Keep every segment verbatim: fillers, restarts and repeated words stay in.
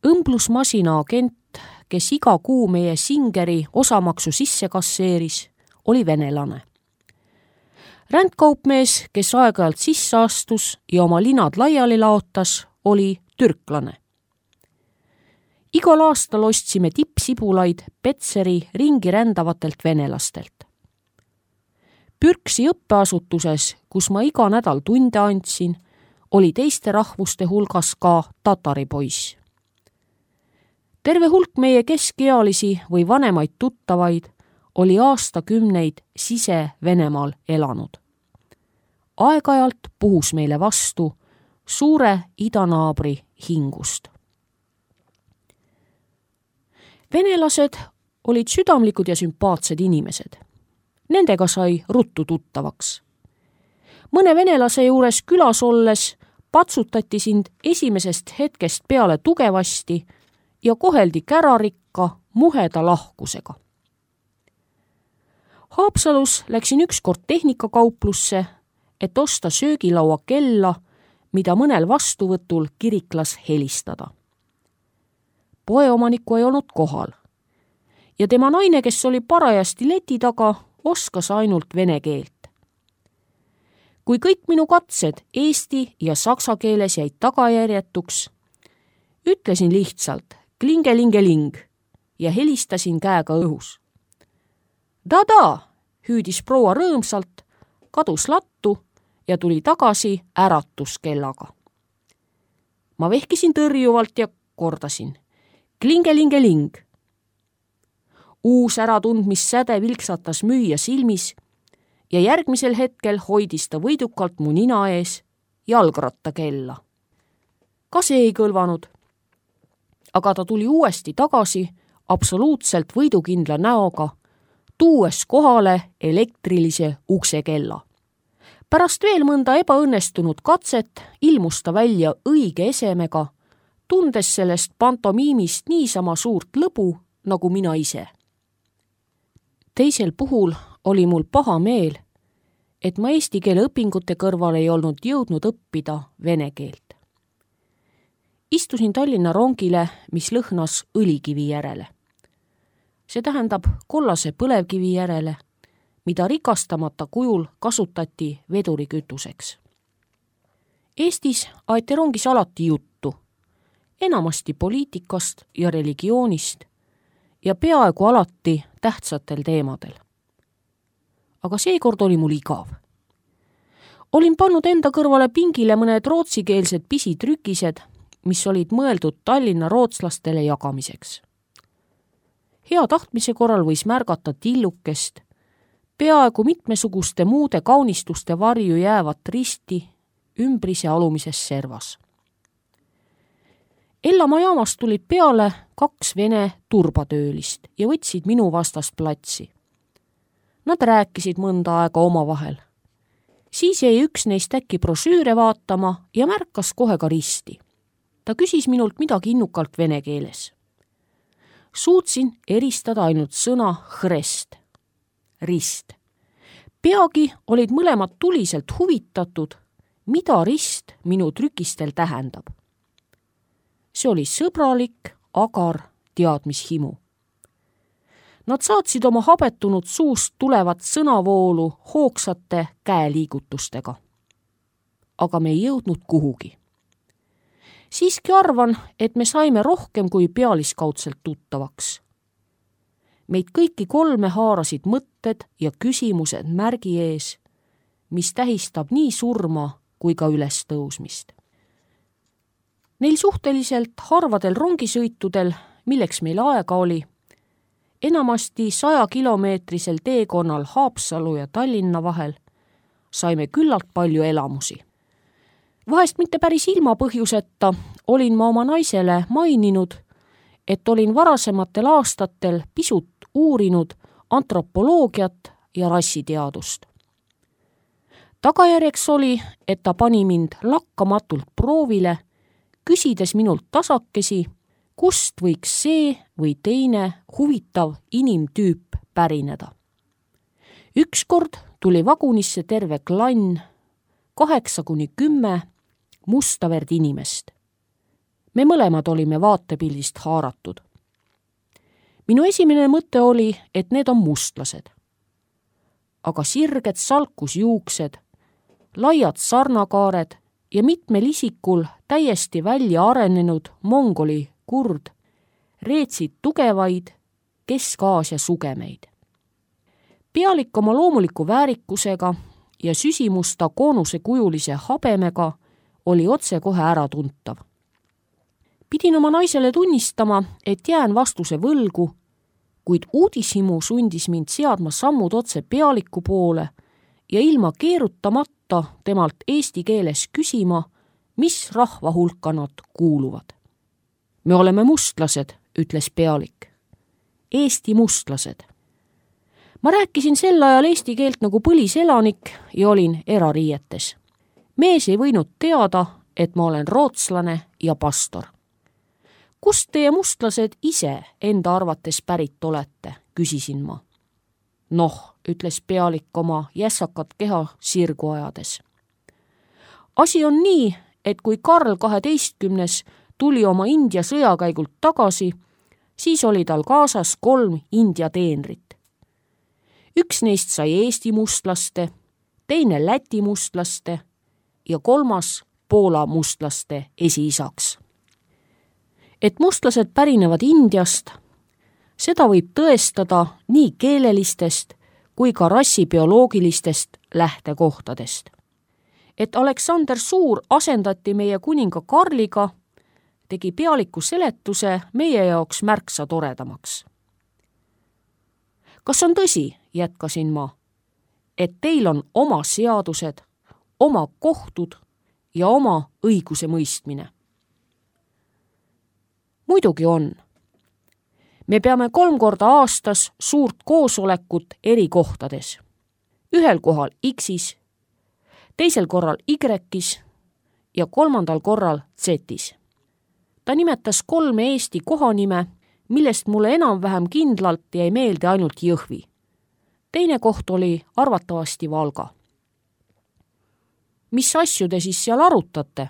Õmblusmasina agent, kes iga kuu meie Singeri osamaksu sisse kasseeris, oli venelane. Rändkaupmees, kes aeg-ajalt sisse astus ja oma linad laiali laotas, oli türklane. Igal aastal ostsime tippsibulaid Petseri ringi rändavatelt venelastelt. Pürksi õppeasutuses, kus ma iga nädal tunde andsin, oli teiste rahvuste hulgas ka tatari poiss. Terve hulk meie keskealisi või vanemaid tuttavaid oli aastakümneid sise-Venemaal elanud. Aeg-ajalt puhus meile vastu suure idanaabri hingust. Venelased olid südamlikud ja sümpaatsed inimesed. Nendega sai ruttu tuttavaks. Mõne venelase juures külas olles patsutati sind esimesest hetkest peale tugevasti ja koheldi kärarikka muheda lahkusega. Haapsalus läksin ükskord tehnikakauplusse, et osta söögilaua kella, mida mõnel vastuvõtul kiriklas helistada. Poeomanikku ei olnud kohal ja tema naine, kes oli parajasti leti taga, oskas ainult vene keelt. Kui kõik minu katsed eesti ja saksa keeles jäid tagajärjetuks, ütlesin lihtsalt klingelingeling ja helistasin käega õhus. Da-da, hüüdis proua rõõmsalt, kadus lattu ja tuli tagasi äratuskellaga. Ma vehkisin tõrjuvalt ja kordasin klingelingeling. Uus äratundmissäde vilksatas müüja silmis ja järgmisel hetkel hoidis ta võidukalt mu nina ees jalgrattakella. Ka see ei kõlvanud, aga ta tuli uuesti tagasi absoluutselt võidukindla näoga, tuues kohale elektrilise uksekella. Pärast veel mõnda ebaõnnestunud katset ilmus ta välja õige esemega, tundes sellest pantomiimist niisama suurt lõbu nagu mina ise. Teisel puhul oli mul paha meel, et ma eesti keele õpingute kõrval ei olnud jõudnud õppida vene keelt. Istusin Tallinna rongile, mis lõhnas õlikivi järele. See tähendab kollase põlevkivi järele, mida rikastamata kujul kasutati vedurikütuseks. Eestis aeti rongis alati juttu, enamasti poliitikast ja religioonist ja peaaegu alati tähtsatel teemadel. Aga seekord oli mul igav. Olin pannud enda kõrvale pingile mõned rootsikeelsed pisitrükised, mis olid mõeldud Tallinna rootslastele jagamiseks. Hea tahtmise korral võis märgata tillukest, peaaegu mitmesuguste muude kaunistuste varju jäävat risti ümbrise alumises servas. Ellamaa jaamast tulid peale kaks vene turbatöölist ja võtsid minu vastast platsi. Nad rääkisid mõnda aega omavahel. Siis jäi üks neist äkki brošüüre vaatama ja märkas kohe ka risti. Ta küsis minult midagi innukalt vene keeles. Suutsin eristada ainult sõna hrest, rist. Peagi olid mõlemad tuliselt huvitatud, mida rist minu trükistel tähendab. See oli sõbralik, agar teadmishimu. Nad saatsid oma habetunud suust tulevat sõnavoolu hoogsate käeliigutustega. Aga me ei jõudnud kuhugi. Siiski arvan, et me saime rohkem kui pealiskaudselt tuttavaks. Meid kõiki kolme haarasid mõtted ja küsimused märgi ees, mis tähistab nii surma kui ka ülestõusmist. Neil suhteliselt harvadel rongisõitudel, milleks meil aega oli, enamasti saja kilomeetrisel teekonnal Haapsalu ja Tallinna vahel, saime küllalt palju elamusi. Vahest mitte päris ilma põhjuseta olin ma oma naisele maininud, et olin varasematel aastatel pisut uurinud antropoloogiat ja rassiteadust. Tagajärjeks oli, et ta pani mind lakkamatult proovile, küsides minult tasakesi, kust võiks see või teine huvitav inimtüüp pärineda. Ükskord tuli vagunisse terve klann, kaheksa kuni kümme mustaverd inimest. me mõlemad olime vaatepildist haaratud. minu esimene mõte oli, et need on mustlased. aga sirged salkusjuuksed, laiad sarnakaared ja mitmel isikul täiesti välja arenenud mongoli kurd reetsid tugevaid Kesk-Aasia sugemeid. Pealik oma loomuliku väärikusega ja süsimusta koonusekujulise habemega oli otsekohe äratuntav. Pidin oma naisele tunnistama, et jään vastuse võlgu, kuid uudishimu sundis mind seadma sammud otse Pealiku poole ja ilma keerutamata temalt eesti keeles küsima, mis rahva hulka nad kuuluvad. Me oleme mustlased, ütles Pealik. Eesti mustlased. Ma rääkisin sel ajal eesti keelt nagu põliselanik ja olin erariietes. Mees ei võinud teada, et ma olen rootslane ja pastor. Kust teie mustlased ise enda arvates pärit olete, küsisin ma. Noh, ütles Pealik oma jässakat keha sirgu ajades. Asi on nii, et kui Karl kaheteistkümnes tuli oma India sõjakäigult tagasi, siis oli tal kaasas kolm India teenrit. Üks neist sai Eesti mustlaste, teine Läti mustlaste ja kolmas Poola mustlaste esiisaks. Et mustlased pärinevad Indiast, seda võib tõestada nii keelelistest kui ka rassibioloogilistest lähtekohtadest. Et Aleksander Suur asendati meie kuninga Karliga, tegi Pealiku seletuse meie jaoks märksa toredamaks. Kas on tõsi, jätkasin ma, et teil on oma seadused, oma kohtud ja oma õiguse mõistmine? Muidugi on. Me peame kolm korda aastas suurt koosolekut eri kohtades. Ühel kohal X-is, teisel korral Y-is ja kolmandal korral Z-is. Ta nimetas kolme Eesti kohanime, millest mulle enam-vähem kindlalt jäi meelde ainult Jõhvi. Teine koht oli arvatavasti Valga. Mis asju te siis seal arutate?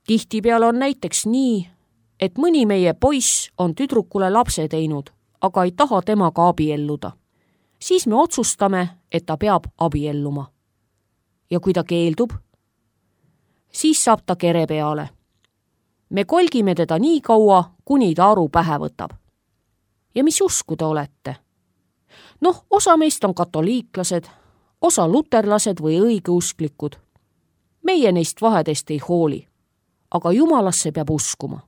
Tihtipeale on näiteks nii, et mõni meie poiss on tüdrukule lapse teinud, aga ei taha temaga abielluda. Siis me otsustame, et ta peab abielluma. Ja kui ta keeldub, siis saab ta kere peale. Me kolgime teda nii kaua, kuni ta aru pähe võtab. Ja mis usku te olete? Noh, osa meist on katoliiklased, osa luterlased või õigeusklikud. Meie neist vahedest ei hooli, aga Jumalasse peab uskuma.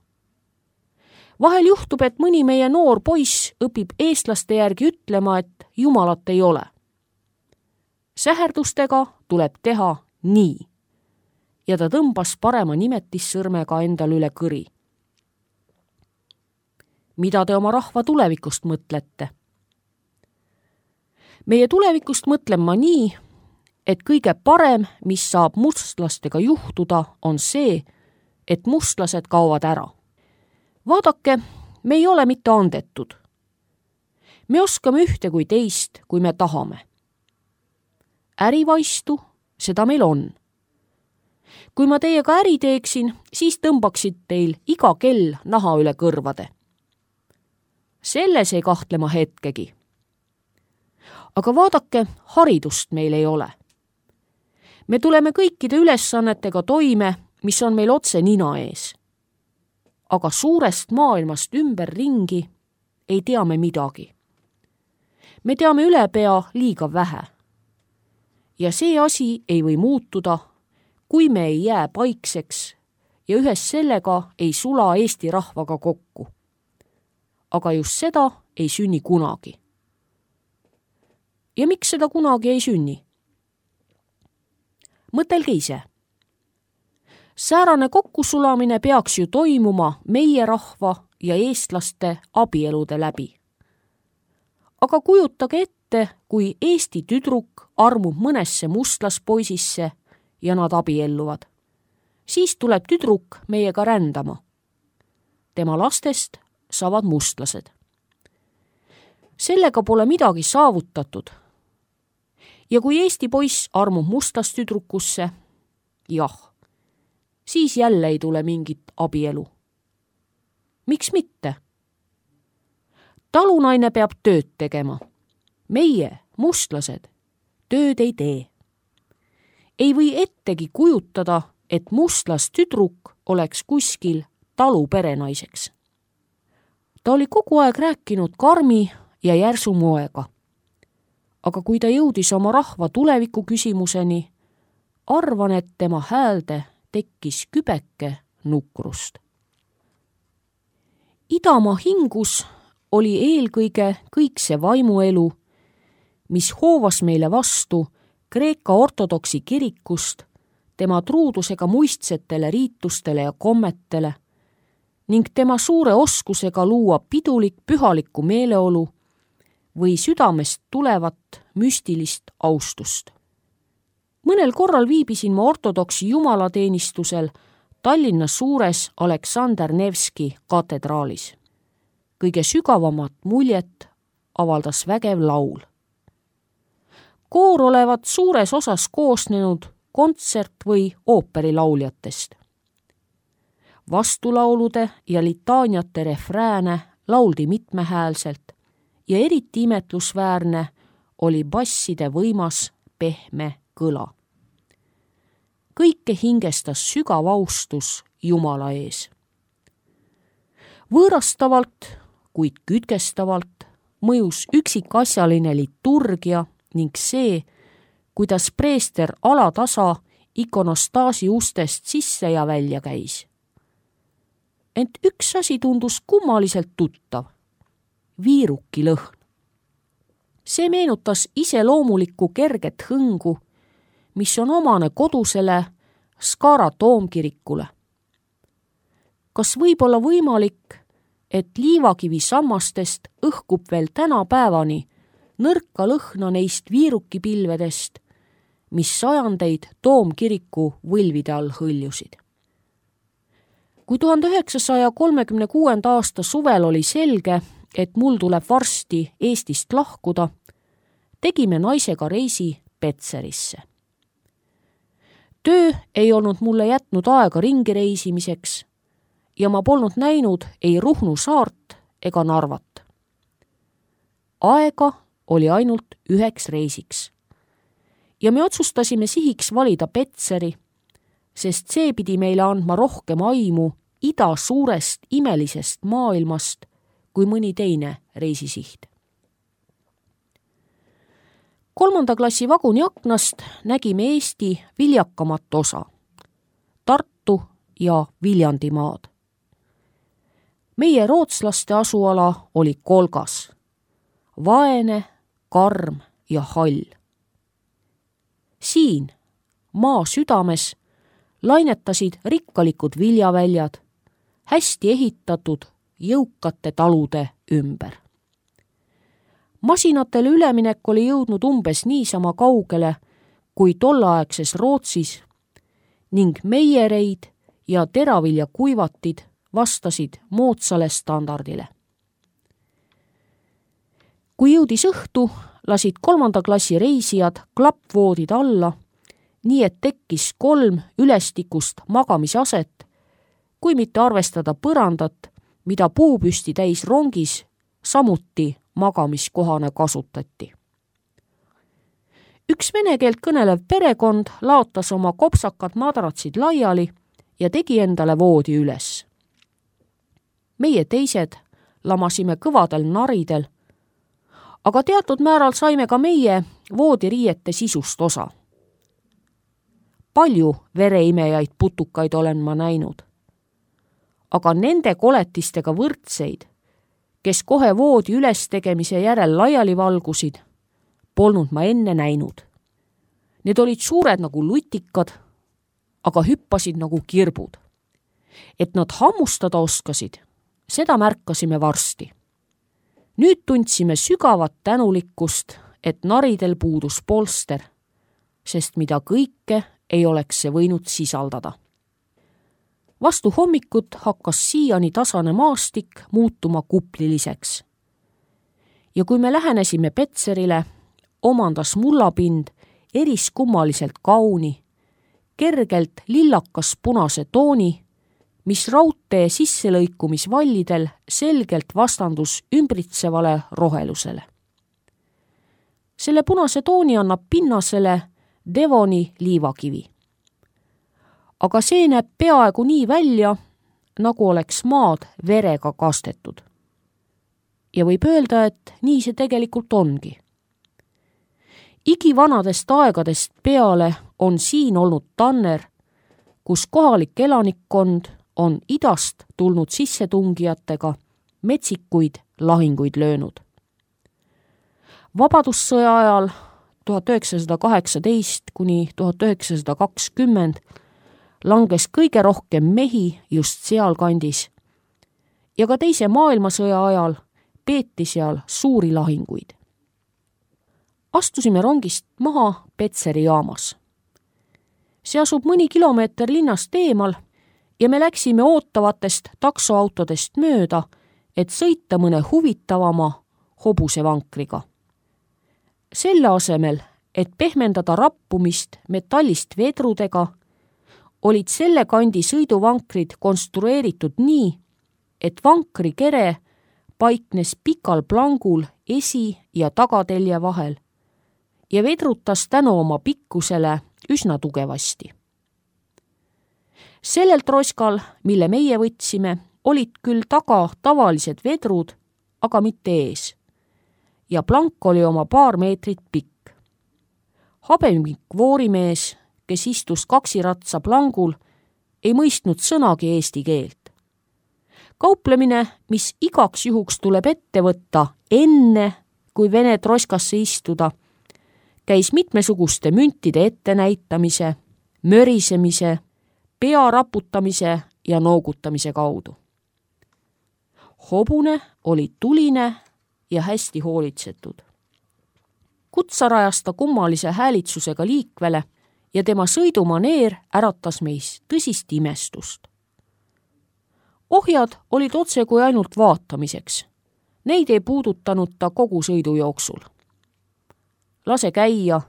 Vahel juhtub, et mõni meie noor poiss õpib eestlaste järgi ütlema, et Jumalat ei ole. Säherdustega tuleb teha nii. Ja ta tõmbas parema nimetissõrmega endal üle kõri. Mida te oma rahva tulevikust mõtlete? Meie tulevikust mõtlen ma nii, et kõige parem, mis saab mustlastega juhtuda, on see, et mustlased kaovad ära. Vaadake, me ei ole mitte andetud. Me oskame ühte kui teist, kui me tahame. Ärivaistu, seda meil on. Kui ma teiega äri teeksin, siis tõmbaksid teil iga kell naha üle kõrvade. Selles ei kahtle ma hetkegi. Aga vaadake, haridust meil ei ole. Me tuleme kõikide ülesannetega toime, mis on meil otse nina ees. Aga suurest maailmast ümber ringi ei tea me midagi. Me teame ülepea liiga vähe. Ja see asi ei või muutuda, kui me ei jää paikseks ja ühes sellega ei sula Eesti rahvaga kokku. Aga just seda ei sünni kunagi. Ja miks seda kunagi ei sünni? Mõtelge ise. Säärane kokkusulamine peaks ju toimuma meie rahva ja eestlaste abielude läbi. Aga kujutage ette, kui Eesti tüdruk armub mõnesse mustlaspoisisse ja nad abielluvad. Siis tuleb tüdruk meiega rändama. Tema lastest saavad mustlased. Sellega pole midagi saavutatud. Ja kui Eesti poiss armub mustlastüdrukusse, jah, siis jälle ei tule mingit abielu. Miks mitte? Talunaine peab tööd tegema. Meie, mustlased, tööd ei tee. Ei või ettegi kujutada, et mustlas tüdruk oleks kuskil talu perenaiseks. Ta oli kogu aeg rääkinud karmi ja järsu moega. Aga kui ta jõudis oma rahva tuleviku küsimuseni, arvan, et tema häälde tekkis kübeke nukrust. Idamaa hingus oli eelkõige kõik see vaimuelu, mis hoovas meile vastu Kreeka ortodoksi kirikust, tema truudusega muistsetele riitustele ja kommetele ning tema suure oskusega luua pidulik pühalikku meeleolu või südamest tulevat müstilist austust. Mõnel korral viibisin ma ortodoksi jumalateenistusel Tallinna suures Aleksander Nevski katedraalis. Kõige sügavamat muljet avaldas vägev laul. Koor olevat suures osas koosnenud kontsert- või ooperilauljatest. Vastulaulude ja litaaniate refrääne lauldi mitmehäälselt ja eriti imetlusväärne oli basside võimas pehme kõla. Kõike hingestas sügav austus Jumala ees. Võõrastavalt, kuid kütkestavalt mõjus üksikasjaline liturgia ning see, kuidas preester alatasa ikonostaasi ustest sisse ja välja käis. Ent üks asi tundus kummaliselt tuttav. Viiruki lõhn. See meenutas iseloomulikku kerget hõngu, mis on omane kodusele Skara toomkirikule. Kas võib olla võimalik, et liivakivi sammastest õhkub veel tänapäevani nõrka lõhna neist viirukipilvedest, mis sajandeid toomkiriku võlvide all hõljusid? Kui tuhande üheksasaja kolmekümne kuuenda aasta suvel oli selge, et mul tuleb varsti Eestist lahkuda, tegime naisega reisi Petserisse. Töö ei olnud mulle jätnud aega ringi reisimiseks ja ma polnud näinud ei Ruhnu saart ega Narvat. Aega oli ainult üheks reisiks ja me otsustasime sihiks valida Petseri, sest see pidi meile andma rohkem aimu ida suurest imelisest maailmast kui mõni teine reisisiht. Kolmanda klassi vaguni aknast nägime Eesti viljakamat osa, Tartu ja Viljandimaad. Meie rootslaste asuala oli kolgas, vaene, karm ja hall. Siin, maa südames, lainetasid rikkalikud viljaväljad, hästi ehitatud jõukate talude ümber. Masinatele üleminek oli jõudnud umbes niisama kaugele kui tolleaegses Rootsis ning meiereid ja teraviljakuivatid vastasid moodsale standardile. Kui jõudis õhtu, lasid kolmanda klassi reisijad klappvoodid alla, nii et tekkis kolm ülestikust magamisaset, kui mitte arvestada põrandat, mida puupüsti täis rongis samuti magamiskohana kasutati. Üks vene keelt kõnelev perekond laotas oma kopsakad madratsid laiali ja tegi endale voodi üles. Meie teised lamasime kõvadel naridel, aga teatud määral saime ka meie voodiriiete sisust osa. Palju vereimejaid putukaid olen ma näinud, aga nende koletistega võrdseid, kes kohe voodi üles-tegemise järel laiali valgusid, polnud ma enne näinud. Need olid suured nagu lutikad, aga hüppasid nagu kirbud. Et nad hammustada oskasid, seda märkasime varsti. Nüüd tundsime sügavat tänulikkust, et naridel puudus polster, sest mida kõike ei oleks see võinud sisaldada. Vastu hommikut hakkas siiani tasane maastik muutuma kupliliseks. Ja kui me lähenesime Petserile, omandas mullapind eriskummaliselt kauni, kergelt lillakas punase tooni, mis raudtee sisselõikumisvallidel selgelt vastandus ümbritsevale rohelusele. Selle punase tooni annab pinnasele Devoni liivakivi. Aga see näeb peaaegu nii välja, nagu oleks maad verega kastetud. Ja võib öelda, et nii see tegelikult ongi. Igivanadest aegadest peale on siin olnud tanner, kus kohalik elanikkond on idast tulnud sissetungijatega metsikuid lahinguid löönud. Vabadussõja ajal tuhat üheksasada kaheksateist kuni tuhat üheksasada kakskümmend langes kõige rohkem mehi just sealkandis ja ka teise maailmasõja ajal peeti seal suuri lahinguid. Astusime rongist maha Petseri jaamas. See asub mõni kilomeeter linnast eemal ja me läksime ootavatest taksoautodest mööda, et sõita mõne huvitavama hobusevankriga. Selle asemel, et pehmendada rappumist metallist vedrudega, olid selle kandi sõiduvankrid konstrueeritud nii, et vankri kere paiknes pikal plangul esi- ja tagatelje vahel ja vedrutas tänu oma pikkusele üsna tugevasti. Sellel troskal, mille meie võtsime, olid küll taga tavalised vedrud, aga mitte ees. Ja plank oli oma paar meetrit pikk. Habemik voorimees, kes istus kaksiratsa plangul, ei mõistnud sõnagi eesti keelt. Kauplemine, mis igaks juhuks tuleb ette võtta enne, kui vene troskasse istuda, käis mitmesuguste müntide ettenäitamise, mörisemise, pea raputamise ja noogutamise kaudu. Hobune oli tuline ja hästi hoolitsetud. Kutsarajas ta kummalise häälitsusega liikvele ja tema sõidumaneer äratas meis tõsist imestust. Ohjad olid otse kui ainult vaatamiseks. Neid ei puudutanud ta kogu sõidu jooksul. Lase käia,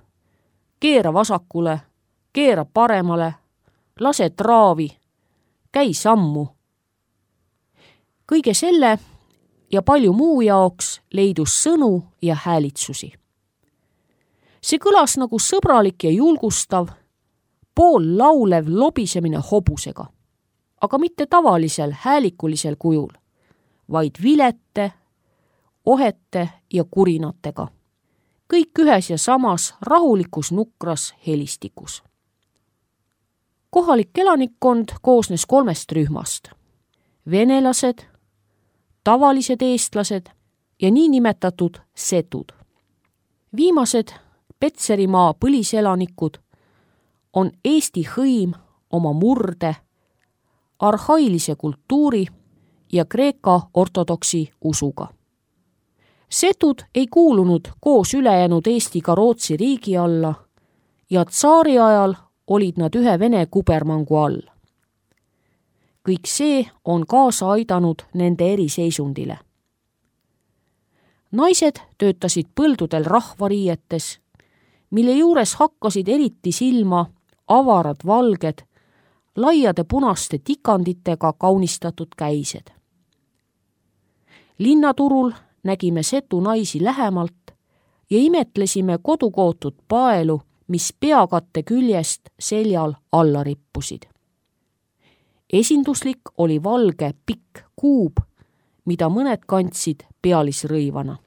keera vasakule, keera paremale, lase traavi, käi sammu. Kõige selle ja palju muu jaoks leidus sõnu ja häälitsusi. See kõlas nagu sõbralik ja julgustav, pool laulev lobisemine hobusega, aga mitte tavalisel häälikulisel kujul, vaid vilete, ohete ja kurinatega. Kõik ühes ja samas rahulikus nukras helistikus. Kohalik elanikkond koosnes kolmest rühmast. Venelased, tavalised eestlased ja niinimetatud setud. Viimased Petserimaa põliselanikud on Eesti hõim oma murde, arhailise kultuuri ja Kreeka ortodoksi usuga. Setud ei kuulunud koos ülejäänud Eestiga Rootsi riigi alla ja tsaari ajal olid nad ühe Vene kubermangu all. Kõik see on kaasa aidanud nende eriseisundile. Naised töötasid põldudel rahvariietes, mille juures hakkasid eriti silma avarad valged, laiade punaste tikanditega kaunistatud käised. Linnaturul nägime setu naisi lähemalt ja imetlesime kodukootud paelu, mis peakatte küljest seljal alla rippusid. Esinduslik oli valge pikk kuub, mida mõned kandsid pealisrõivana.